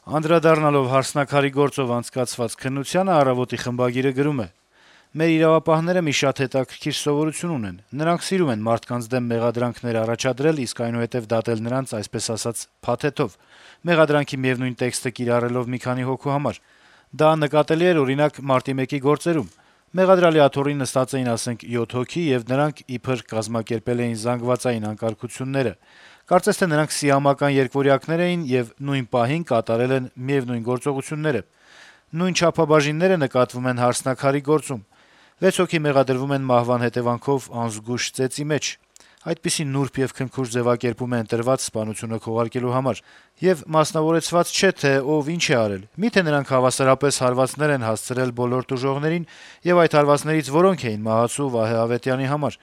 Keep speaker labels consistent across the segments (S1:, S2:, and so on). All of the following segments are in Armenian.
S1: Անդրադառնալով «Հարսնաքարի» գործով անցկացված քննությանը «Առավոտ»-ի խմբագիրը գրում է. - «Մեր իրավապահները մի շատ հետաքրքիր սովորություն ունեն. նրանք սիրում են մարդկանց դեմ մեղադրանքներ առաջադրել, իսկ այնուհետեւ դատել նրանց, այսպես ասած, փաթեթով, մեղադրանքի միեւնույն տեքստը կիրառելով մի քանի հոգու համար: Դա նկատելի էր, օրինակ, Մարտի 1-ի գործերում: Մեղադրյալի աթոռին նստած էին, ասենք, 7 հոգի, եւ նրանք իբր կազմակերպել էին զանգվածային անկարգությունները: Կարծես թե նրանք սիամական երկվորյակներ էին եւ նույն պահին կատարել են միեւնույն գործողությունները: Նույն չափաբաժինները նկատվում են «Հարսնաքարի» գործում: 6 հոգի մեղադրվում են մահվան հետեւանքով անզգույշ ծեծի մեջ: Այդպիսի նուրբ եւ քնքուշ ձեւակերպում է ընտրված սպանությունը քողարկելու համար: Եվ մասնավորեցված չէ, թե ով ինչ է արել: Մի՞թե նրանք հավասարապես հարվածներ են հասցրել բոլոր տուժողներին, եւ այդ հարվածներից որոնք էին մահացու Վահե Ավետյանի համար: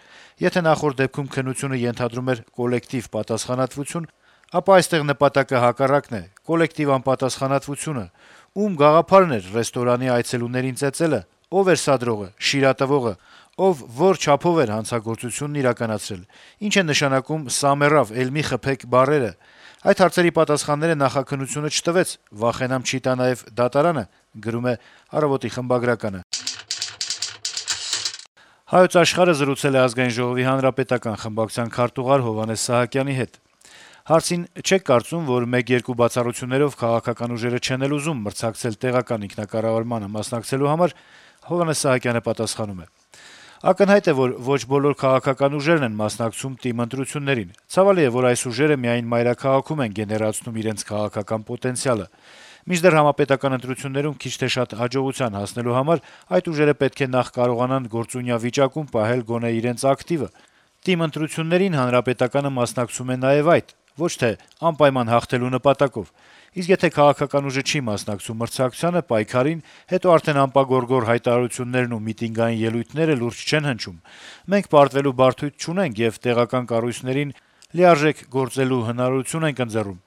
S1: Եթե նախորդ դեպքում քննությունը ենթադրում էր կոլեկտիվ պատասխանատվություն, ապա այստեղ նպատակը հակառակն է՝ կոլեկտիվ անպատասխանատվությունը: Ում գաղափարն էր ռեստորանի այցելուներին ծեծելը: Ով էր սադրողը, շիրատվողը: Ով որ չափով էր հանցագործությունն իրականացրել: Ինչ են նշանակում «սա մեռավ, էլ մի խփեք» բառերը: Այդ հարցերի պատասխանները նախաքննությունը չտվեց, վախենամ չի տա նաեւ դատարանը»: «Հայոց Աշխարհ»-ը զրուցել է Ազգային ժողովի հանրապետական խմբակցության քարտուղար Հովհաննես Սահակյանի հետ: Հարցին՝ չե՞ք կարծում, որ 1-2 բացառություններով քաղաքական ուժերը չեն էլ ուզում մրցակցել տեղական ինքնակառավարմանը մասնակցելու համար, Սահակյանը պատասխանում է. - «Ակնհայտ է, որ ոչ բոլոր քաղաքական ուժերն են մասնակցում ՏԻՄ ընտրություններին: Ցավալի է, որ այս ուժերը միայն մայրաքաղաքում են գեներացնում իրենց քաղաքական պոտենցիալը: Մինչդեռ համապետական ընտրություններում քիչ թե շատ հաջողության հասնելու համար այդ ուժերը պետք է նախ կարողանան գործունյա վիճակում պահել գոնե իրենց ակտիվը: ՏԻՄ ընտրություններին Հանրապետականը մասնակցում է նաեւ այդ, ոչ թե անպայման հաղթելու նպատակով: Իսկ եթե քաղաքական ուժը չի մասնակցում մրցակցությանը, պայքարին, հետո արդեն անպագորգոր հայտարարություններն ու միտինգային ելույթները լուրջ չեն հնչում: Մենք պարտվելու բարդույթ չունենք եւ տեղական կառույցներին լիարժեք գործելու հնարավորություն ենք ընձեռում»: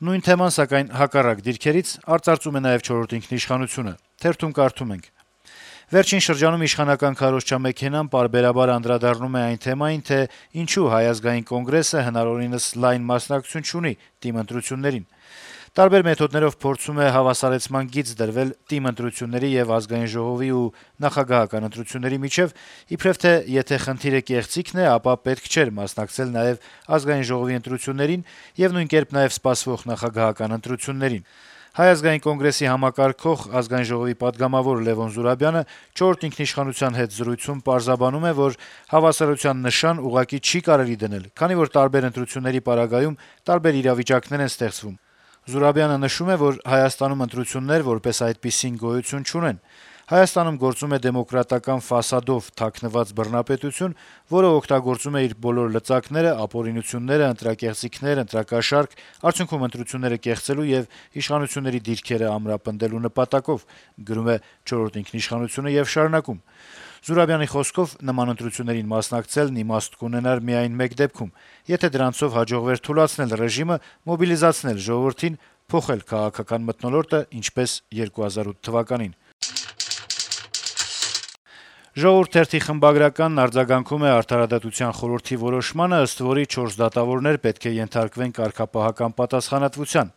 S1: Նույն թեման, սակայն հակառակ դիրքերից արծարծում է նաեւ «Չորրորդ ինքնիշխանություն»-ը: Թերթում կարդում ենք. - «Վերջին շրջանում իշխանական քարոզչամեքենան պարբերաբար անդրադառնում է այն թեմային, թե ինչու Հայ ազգային կոնգրեսը հնարավորինս լայն մասնակցություն չունի ՏԻՄ ընտրություններին: Տարբեր մեթոդներով փորձում է հավասարեցման գիծ դրվել ՏԻՄ ընտրությունների եւ Ազգային ժողովի ու նախագահական ընտրությունների միջեւ, իբրեւ թե եթե խնդիրը կեղծիքն է, ապա պետք չէր մասնակցել նաեւ Ազգային ժողովի ընտրություններին եւ նույնկերպ նաեւ սպասվող նախագահական ընտրություններին: Հայ ազգային կոնգրեսի համակարգող, Ազգային ժողովի պատգամավոր Լեւոն Զուրաբյանը «Չորրորդ ինքնիշխանության» հետ զրույցում պարզաբանում է, որ հավասարության նշան ուղղակի չի կարելի դնել, քանի որ տարբեր ընտրությունների պարագայում տարբեր իրավիճակներ են ստեղծվում: Զուրաբյանը նշում է, որ Հայաստանում ընտրություններ, որպես այդպիսին, գոյություն չունեն: Հայաստանում գործում է դեմոկրատական ֆասադով թաքնված բռնապետություն, որը օգտագործում է իր բոլոր լծակները, ապօրինությունները, ընտրակեղծիքներ, ընտրակաշառք, արդյունքում ընտրությունները կեղծելու եւ իշխանությունների դիրքերը ամրապնդելու նպատակով»: Եւ շարունակում. - «Զուրաբյանի խոսքով, նման ընտրություններին մասնակցելն իմաստ կունենար միայն մեկ դեպքում, եթե դրանցով հաջողվեր թուլացնել ռեժիմը, մոբիլիզացնել ժողովրդին, փոխել քաղաքական մթնոլորտը, ինչպես 2008 թվականին»: «Ժողովուրդ» թերթի խմբագրականն արձագանքում է Արդարադատության խորհրդի որոշմանը, ըստ որի 4 դատավորներ պետք է ենթարկվեն կարգապահական պատասխանատվության: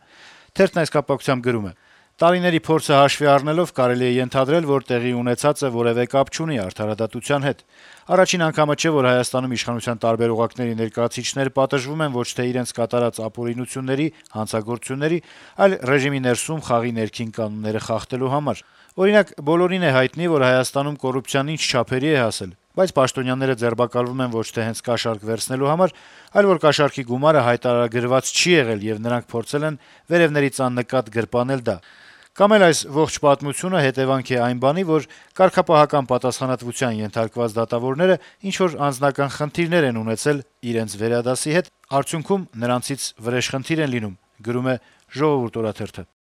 S1: Թերթն այս կապակցությամբ գրում է. - «Տարիների փորձը հաշվի առնելով կարելի է ենթադրել, որ տեղի ունեցածը որեւէ կապ չունի արդարադատության հետ: Առաջին անգամը չէ, որ Հայաստանում իշխանության տարբեր օղակների ներկայացուցիչներ պատժվում են ոչ թե իրենց կատարած ապօրինությունների, հանցագործությունների, այլ ռեժիմի ներսում խաղի ներքին կանոնները խախտելու համար: Օրինակ, բոլորին է հայտնի, որ Հայաստանում կոռուպցիան ինչ չափերի է հասել, բայց պաշտոնյաները ձերբակալվում են ոչ թե հենց կաշառք վերցնելու համար, այլ որ կաշառքի գումարը հայտարարագրված չի եղել, եւ նրանք փորձել են վերեւներից աննկատ գրպանել դա: Կամ էլ այս ողջ պատմությունը հետեւանք է այն բանի, որ կարգապահական պատասխանատվության ենթարկված դատավորները ինչ-որ անձնական խնդիրներ են ունեցել իրենց վերադասի հետ, արդյունքում նրանցից վրեժխնդիր են լինում»: